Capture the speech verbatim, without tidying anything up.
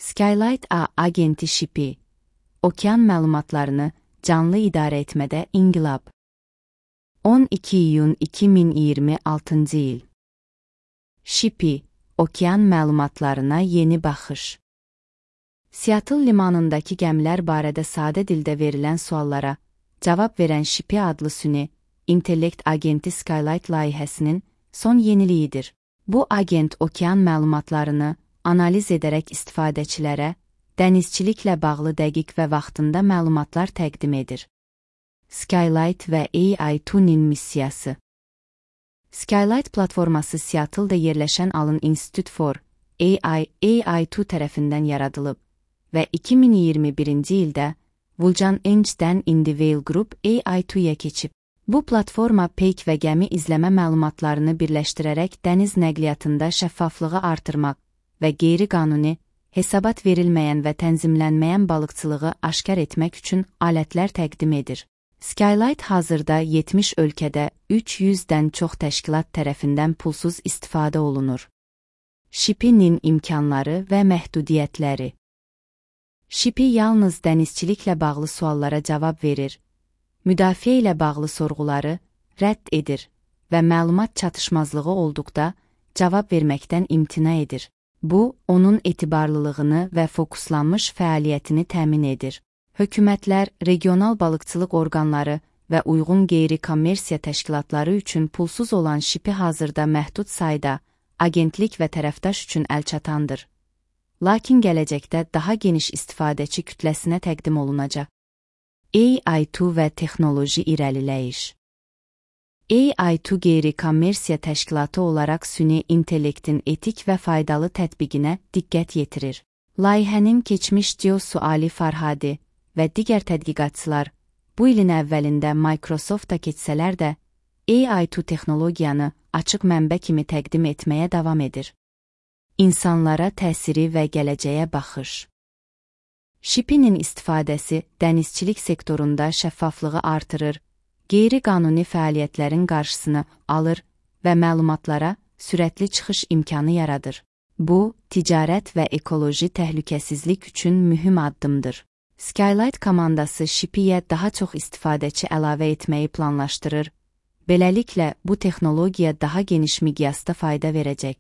Skylight A agenti Shipi, okean məlumatlarını canlı idarə etmədə inqilab. on iki iyun iki min iyirmi altıncı il. Shipi, okean məlumatlarına yeni baxış. Seattle limanındakı gəmilər barədə sadə dildə verilən suallara cavab verən Shipi adlı süni intellekt agenti Skylight layihəsinin son yeniliyidir. Bu agent okean məlumatlarını analiz edərək istifadəçilərə dənizçiliklə bağlı dəqiq və vaxtında məlumatlar təqdim edir. Skylight və A I iki-nin missiyası. Skylight platforması Seattle-da yerləşən Allen Institute for A I A I iki tərəfindən yaradılıb və iki min iyirmi birinci ildə Vulcan Engine'dən Indivale Group A I iki-yə keçib. Bu platforma peyk və gəmi izləmə məlumatlarını birləşdirərək dəniz nəqliyyatında şəffaflığı artırmaq və qeyri-qanuni, hesabat verilməyən və tənzimlənməyən balıqçılığı aşkar etmək üçün alətlər təqdim edir. Skylight hazırda yetmiş ölkədə üç yüzdən çox təşkilat tərəfindən pulsuz istifadə olunur. Shipi-nin imkanları və məhdudiyyətləri. Shipi yalnız dənizçiliklə bağlı suallara cavab verir, müdafiə ilə bağlı sorğuları rədd edir və məlumat çatışmazlığı olduqda cavab verməkdən imtina edir. Bu, onun etibarlılığını və fokuslanmış fəaliyyətini təmin edir. Hökumətlər, regional balıqçılıq orqanları və uyğun qeyri-kommersiya təşkilatları üçün pulsuz olan Shipi hazırda məhdud sayda agentlik və tərəfdaş üçün əlçatandır. Lakin gələcəkdə daha geniş istifadəçi kütləsinə təqdim olunacaq. A I iki və texnoloji irəliləyiş. A I iki qeyri-kommersiya təşkilatı olaraq süni intellektin etik və faydalı tətbiqinə diqqət yetirir. Layihənin keçmiş C E O-su Ali Farhadi və digər tədqiqatçılar bu ilin əvvəlində Microsoft-da keçsələr də A I iki texnologiyanı açıq mənbə kimi təqdim etməyə davam edir. İnsanlara təsiri və gələcəyə baxış. Shipi-nin istifadəsi dənizçilik sektorunda şəffaflığı artırır, qeyri-qanuni fəaliyyətlərin qarşısını alır və məlumatlara sürətli çıxış imkanı yaradır. Bu, ticarət və ekoloji təhlükəsizlik üçün mühüm addımdır. Skylight komandası Shipi-yə daha çox istifadəçi əlavə etməyi planlaşdırır. Beləliklə, bu texnologiya daha geniş miqyasda fayda verəcək.